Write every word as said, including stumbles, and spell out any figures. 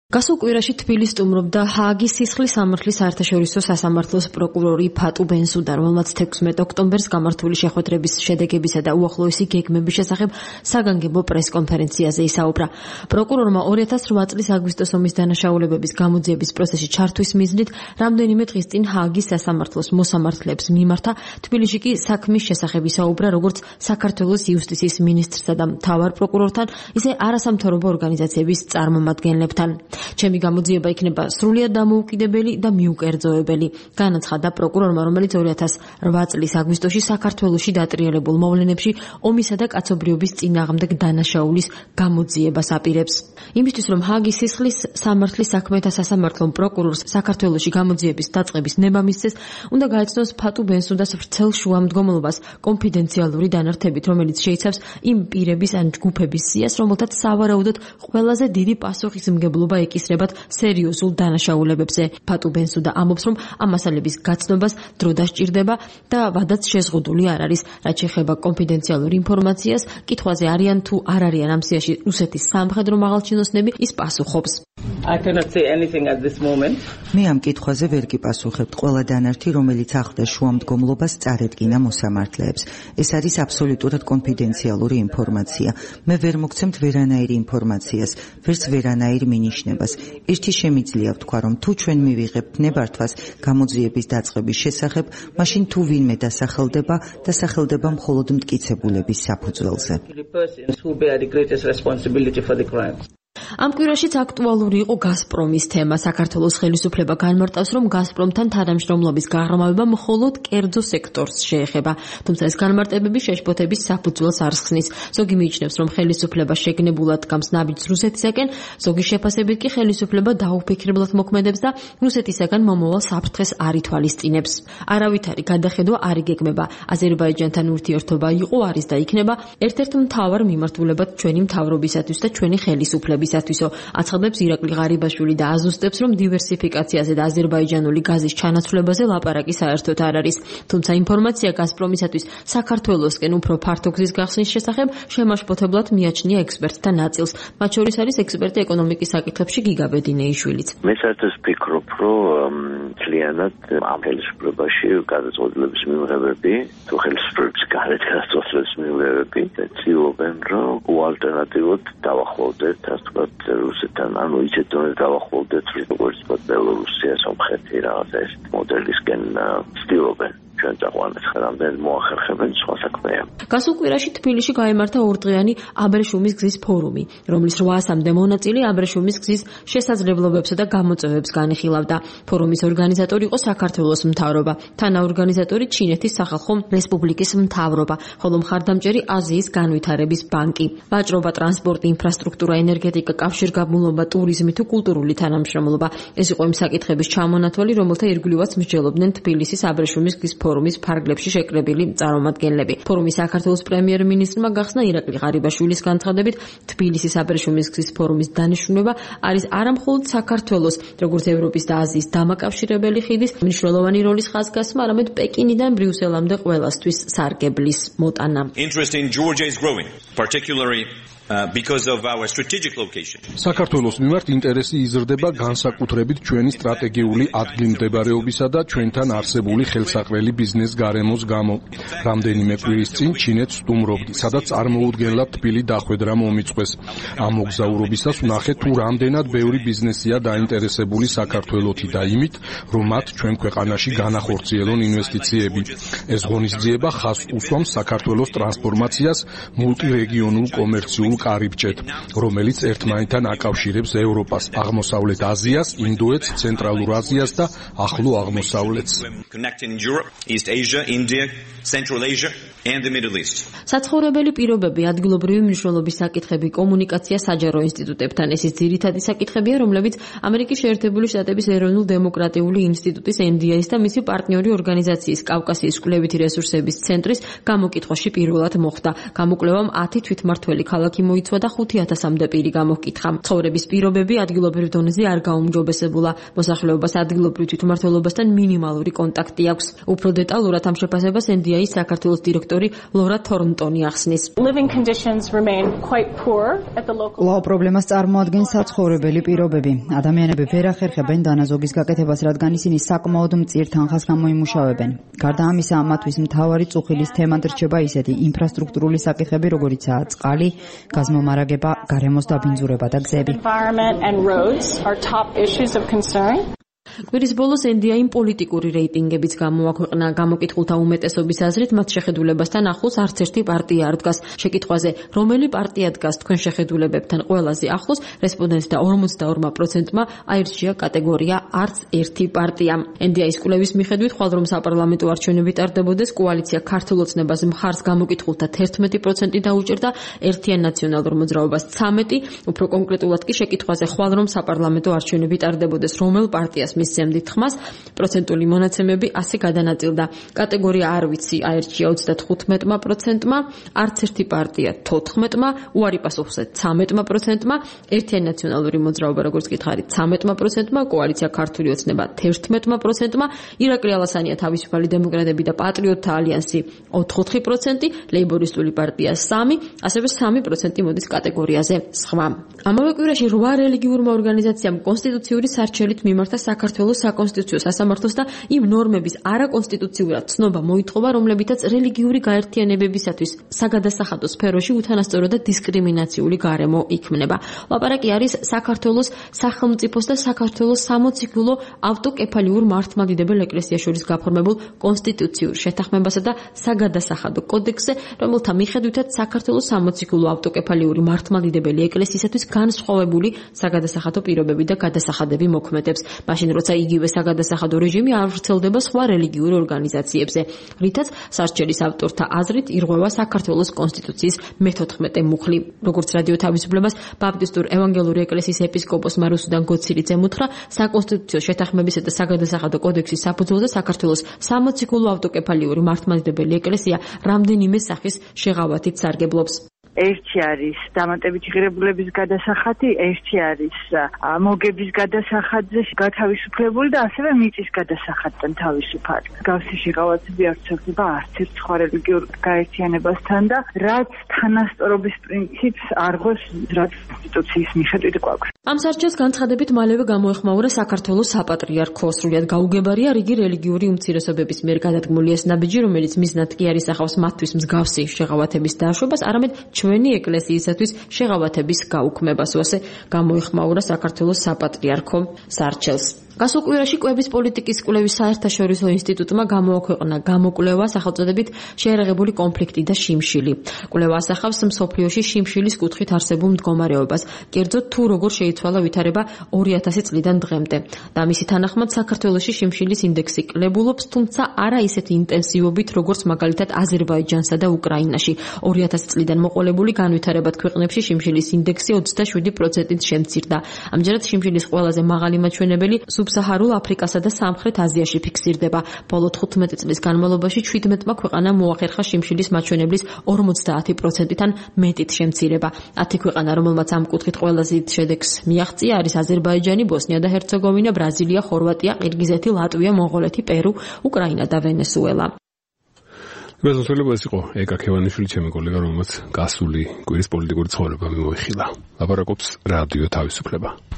გასულ კვირაში თბილისს სტუმრობდა ჰააგის სისხლის სამართლის საერთაშორისო სასამართლოს პროკურორი ფატუ ბენსუდა, რომელმაც თექვსმეტ ოქტომბერს გამართული შეხვედრების შედეგებისა და უახლოესი გეგმების შესახებ საგანგებო პრესკონფერენციაზე ისაუბრა. პროკურორმა ორი ათას რვა წლის აგვისტოს ომის დანაშაულებების გამოძიების პროცესში ჩართვის მიზნით რამდენიმე დღის წინ ჰააგის სასამართლოს მოსამართლეებს მიმართა. თბილისში კი საქმის შესახებ ისაუბრა როგორც საქართველოს იუსტიციის მინისტრსა და მთავარ პროკურორთან, ისე არასამთავრობო ორგანიზაციების წარმომადგენლებთან. ჩემი გამოძიება იქნება სრულიად დამოუკიდებელი და მიუკერძოებელი, განაცხადა პროკურორმა, რომელიც ორი ათას რვა წლის აგვისტოში საქართველოში დატრიალებულ მოვლენებში ომისა და კაცობრიობის წინააღმდეგ დანაშაულის გამოძიებას აპირებს. იმისთვის, რომ ჰააგის სისხლის სამართლის საქმეთა სასამართლომ პროკურორს საქართველოში გამოძიების დაწყების ნება მისცეს, უნდა გაეცნოს ფატუ ბენსუდას ვრცელ შუამდგომლობას კონფიდენციალური დანართებით, რომელიც შეიცავს იმ პირების ან ჯგუფების სიას, რომელთაც სავარაუდოდ ყველაზე დიდი პასუხისმგებლობა ეკისრებათ სერიოზულ დანაშაულებებზე. ფატუ ბენსუდა ამბობს, რომ ამ მასალების გაცნობას დრო დასჭირდება და ვადაც შეზღუდული არ არის, რაც შეეხება კონფიდენციალურ ინფორმაციას, კითხვაზე არიან თუ არ არიან ამ სიაში რუსეთის სამხედრო მაღალჩინოსნები, ის პასუხობს. I cannot say anything at this moment. მე ამ კითხვაზე ვერ გიპასუხებთ. ყველა დანართი, რომელიც ახლდა შუამდგომლობას, წარედგინა მოსამართლეებს. ეს არის აბსოლუტურად კონფიდენციალური ინფორმაცია. მე ვერ მოგცემთ ვერანაირ ინფორმაციას, ვერც ვერანაირ მინიშნებას. ერთი შემიძლია ვთქვა, რომ თუ ჩვენ მივიღებთ ნებართვას გამოძიების დაწყების შესახებ, მაშინ თუ ვინმე დასახელდება, დასახელდება მხოლოდ მტკიცებულების საფუძველზე. ამ კვირაშიც აქტუალური იყო გაზპრომის თემა. საქართველოს ხელისუფლება განმარტავს, რომ გაზპრომთან თანამშრომლობის გაღრმავება მხოლოდ კერძო სექტორს შეეხება, თუმცა ეს განმარტებები შეშფოთების საფუძველს არ ხსნის. ზოგი მიიჩნევს, რომ ხელისუფლება შეგნებულად გამს ნაბიჯს რუსეთისაკენ, ზოგი შეფასებით კი ხელისუფლება დაუფიქრებლად მოქმედებს და რუსეთისაგან მომავალ საფრთხეს არ ითვალისწინებს. არავითარი გადახედვა არ იგეგმება. აზერბაიჯანთან ურთიერთობა იყო, არის და იქნება ერთ-ერთ მთავარ მიმართულებად ჩვენი მთავრობისათვის და ჩვენი ხელისუფლების აცხადებს ირაკლი ღარიბაშვილი და აზუსტებს, რომ დივერსიფიკაციაზე და აზერბაიჯანული გაზის ჩანაცვლებაზე ლაპარაკი საერთოდ არ არის. თუმცა ინფორმაცია გაზპრომისათვის საქართველოსკენ უფრო ფართო გზის გახსნის შესახებ შემაშფოთებლად მიაჩნია ექსპერტთა ნაწილს. მათ შორის არის ექსპერტი ეკონომიკის საკითხებში გიგა ბედინეიშვილიც. მე საერთოდ ვფიქრობ, რომ ძალიანად ამ ხელისუფლებაში გადაწყვეტილების მიღებები, თუ ხელისუფლების გარეთ გადაწყვეტილების მიღებები ცდილობენ, რომ უალტერნატივოდ დავახლოვდეთ რუსეთთან, ანუ ისეთ დონეზე დავახლოვდეთ, როგორც ბელორუსია, სომხეთი, რაღაც ეს მოდელისკენ ცდილობენ. ჩვენ წაყვანეთ ხერამდე მოახერხებენ სხვა საქმეა. გასულ კვირაში თბილისში გაიმართა ორდღიანი აბრეშუმის გზის ფორუმი, რომლის რვაასამდე მონაწილე აბრეშუმის გზის შესაძლებლობებსა და გამოწვევებს განიხილავდა. ფორუმის ორგანიზატორი იყო საქართველოს მთავრობა, თანაორგანიზატორი ჩინეთის სახალხო რესპუბლიკის მთავრობა, ხოლო მხარდამჭერი აზიის განვითარების ბანკი. ვაჭრობა, ტრანსპორტი, ინფრასტრუქტურა, ენერგეტიკა, კავშირგაბმულობა, ტურიზმი თუ კულტურული თანამშრომლობა. ეს იყო იმ საკითხების ჩამონათვალი, რომელთა ირგვლივაც მსჯელობდნენ თბილისის აბრეშუმის გზის ფორუმის ფარგლებში შეკრებილი წარმომადგენლები. ფორუმის საქართველოს პრემიერ-მინისტრმა გახსნა ირაკლი ღარიბაშვილის განცხადებით, თბილისის აბრეშუმის გზის ფორუმის დანიშნულება არის არამხოლოდ საქართველოს, როგორც ევროპის და აზიის დამაკავშირებელი ხიდის მნიშვნელოვანი როლის ხაზგასმა, არამედ პეკინიდან ბრიუსელამდე ყველასთვის სარგებლის მოტანა. Interest in Georgia is growing, particularly Uh, because of our strategic location. საქართველოს მიმართ ინტერესი იზრდება განსაკუთრებით ჩვენი სტრატეგიული ადგილმდებარეობისა და ჩვენთან არსებული ხელსაყრელი ბიზნეს გარემოს გამო. რამდენიმე კვირის წინ ჩინეთს სტუმრობდი, სადაც წარმოუდგენლად თბილი დახვედრა მომიწყვეს. ამ მოგზაურობისას ვნახეთ, თუ რამდენად ბევრი ბიზნესია დაინტერესებული საქართველოთი და იმით, რომ მათ ჩვენ ქვეყანაში განახორციელონ ინვესტიციები. ეს ღონისძიება ხაზს უსვამს საქართველოს ტრანსფორმაციას მულტირეგიონულ კომერციულ კარიბჭეთ, რომელიც ერთმანეთთან აკავშირებს ევროპას, აღმოსავლეთ აზიას, ინდოეთს, ცენტრალურ აზიას და ახლო აღმოსავლეთს. საცხოვრებელი პირობები, ადგილობრივი მნიშვნელობის საკითხები, კომუნიკაცია საჯარო ინსტიტუტებთან, ეს ის ძირითადი საკითხებია, რომლებიც ამერიკის შეერთებული შტატების ეროვნულ დემოკრატიული ინსტიტუტის ენ დი აის და მისი პარტნიორი ორგანიზაციის კავკასიის კვლევითი რესურსების ცენტრის გამოკითხვაში პირველად მოხდა. გამოკვლევამ ათი თვითმმართველი ქალაქი მოიცვა და ხუთი ათასამდე პირი გამოკითხა. ცხოვრების პირობები ადგილობრივ დონეზე არ გაუმჯობესებულა. მოსახლეობას ადგილობრივ თვითმმართველობასთან მინიმალური კონტაქტი აქვს. უფრო დეტალურად ამ შეფასებას ენ დი აის საქართველოს დირექტორი დირექტორი ლორა თორნტონი ახსნის. კვლავ პრობლემას წარმოადგენს საცხოვრებელი პირობები. ადამიანები ვერ ახერხებენ დანაზოგის გაკეთებას, რადგან ისინი საკმაოდ მწირ თანხას გამოიმუშავებენ. გარდა ამისა, მათთვის მთავარი წუხილის თემად რჩება ისეთი ინფრასტრუქტურული საკითხები, როგორიცაა წყალი, გაზმომარაგება, გარემოს დაბინძურება და გზები. კვირის ბოლოს ენდიაიმ პოლიტიკური რეიტინგებიც გამოაქვეყნა. გამოკითხულთა უმეტესობის აზრით მათ შეხედულებასთან ახლოს არც ერთი პარტია არ დგას. შეკითხვაზე, რომელი პარტია დგას თქვენ შეხედულებებთან ყველაზე ახლოს, რესპონდენტთა ორმოცდაორ პროცენტმა აირჩია კატეგორია არც ერთი პარტია. ენდიაის კვლევის მიხედვით, ხვალ რომ საპარლამენტო არჩევნები ტარდებოდეს, კოალიცია ქართულ ოცნებას მხარს გამოკითხულთა თერთმეტი პროცენტი დაუჭერდა, ერთიან ნაციონალურ მოძრაობას ცამეტი, უფრო კონკრეტულად კი შეკითხვაზე, ხვალ რომ საპარლამენტო არჩევნები ტარდებოდეს, რომელ პარტიას მისცემდით ხმას, პროცენტული მონაცემები ასე გადანაწილდა. კატეგორია არ ვიცი აირჩია ოცდათხუთმეტი პროცენტმა, არც ერთი პარტია თოთხმეტი, უარი პასუხზე ცამეტი პროცენტმა, ერთიანი ნაციონალური მოძრაობა როგორც გითხარით ცამეტი პროცენტმა, კოალიცია ქართული ოცნება თერთმეტი პროცენტმა, ირაკლი ალასანია თავისუფალი დემოკრატები და პატრიოტთა ალიანსი ოთხი პროცენტი, ლეიბორისტული პარტია სამი, ასევე სამი პროცენტი მოდის კატეგორიაზე სხვა. ამავე კვირაში რვა რელიგიურმა ორგანიზაციამ კონსტიტუციური სარჩელით მიმართა საქართველოს საკონსტიტუციო სასამართლოს და იმ ნორმების არაკონსტიტუციურად ცნობა მოითხოვა, რომლებითაც რელიგიური გაერთიანებებისათვის საგადასახადო სფეროში უთანასწორო და დისკრიმინაციული გარემო იქმნება. ლაპარაკი არის საქართველოს სახელმწიფოს და საქართველოს სამოციქულო ავტოკეფალიურ მართლმადიდებელ ეკლესიას შორის გაფორმებულ კონსტიტუციურ შეთანხმებასა და საგადასახადო კოდექსზე, რომელთა მიხედვითაც საქართველოს სამოციქულო ავტოკეფალიური მართლმადიდებელი ეკლესიისათვის განსხვავებული საგადასახადო პირობები და გადასახადები მოქმედებს. მაშინ როცა იგივე საგადასახადო რეჟიმი არ ვრცელდება სხვა რელიგიურ ორგანიზაციებზე, რითაც სარჩელის ავტორთა აზრით ირღვევა საქართველოს კონსტიტუციის მეთოთხმეტე მუხლი. როგორც რადიო თავისუფლებას ბაპტისტურ ევანგელური ეკლესიის ეპისკოპოსმა რუსუდან გოცირიძემ უთხრა, საკონსტიტუციო შეთანხმებისა და საგადასახადო კოდექსის საფუძველზე საქართველოს სამოციქულო ავტოკეფალიური მართლმადიდებელი ეკლესია რამდენიმე სახის შეღავათით სარგებლობს. ერთი არის დამატებითი ღირებულების გადასახადი, ერთი არის მოგების გადასახადზე გათავისუფლებული და ასევე მიწის გადასახადთან თავისუფალი. გავსი შეღავათები არ ვრცელდება არც ერთ სხვა რელიგიურ გაერთიანებასთან და რაც თანასწორობის პრინციპს არღვევს, რაც კონსტიტუციის მიხედვით გვაქვს. ამ სარჩელს განცხადებით მალევე გამოეხმაურა საქართველოს საპატრიარქო. სრულიად გაუგებარია რიგი რელიგიური უმცირესობების მიერ გადადგმული ეს ნაბიჯი, რომელიც მიზნად კი არ ისახავს მათთვის მსგავსი შეღავათების დაშვებას, არამედ ჩვენი ეკლესიისათვის შეღავათების გაუქმებას. ასე გამოეხმაურა საქართველოს საპატრიარქო სარჩელს. გასულ კვირაში კვების პოლიტიკის კვლევის საერთაშორისო ინსტიტუტმა გამოაქვეყნა გამოკვლევა სახელწოდებით შეერაღებული კონფლიქტი და შიმშილი. კვლევა ასახავს მსოფლიოში შიმშილის კუთხით არსებულ მდგომარეობას, კერძოდ თუ როგორ შეიცვალა ვითარება ორი ათასი წლიდან დღემდე. და მისი თანახმად საქართველოში შიმშილის ინდექსი კლებულობს, თუმცა არა ისეთი ინტენსივობით, როგორც მაგალითად აზერბაიჯანსა და უკრაინაში. ორი ათასი წლიდან მოყოლებული განვითარებად ქვეყნებში შიმშილის ინდექსი ოცდაშვიდი პროცენტით შემცირდა. ამჯერად შიმშილის ყველაზე მაღალი მაჩვენებელი სუბსაჰარულ აფრიკასა და სამხრეთ აზიაში ფიქსირდება. ბოლო თხუთმეტი წლის განმავლობაში შვიდმეტმა ქვეყანამ მოახერხა შიმშილის მაჩვენებლის ორმოცდაათი პროცენტიდან მეტით შემცირება. ათი ქვეყანა, რომელმაც ამ კუთხით ყველაზე დიდ შედეგს მიაღწია, არის აზერბაიჯანი, ბოსნია და ჰერცეგოვინა, ბრაზილია, ხორვატია, ყირგიზეთი, ლატვია, მონღოლეთი, პერუ, უკრაინა და ვენესუელა. გასულება ეს იყო ეკა ქევანიშვილი, ჩემი კოლეგა, რომელმაც გასული კვირის პოლიტიკური ცხოვრება მიმოიხილა. ლაპარაკობს რადიო თავისუფლება.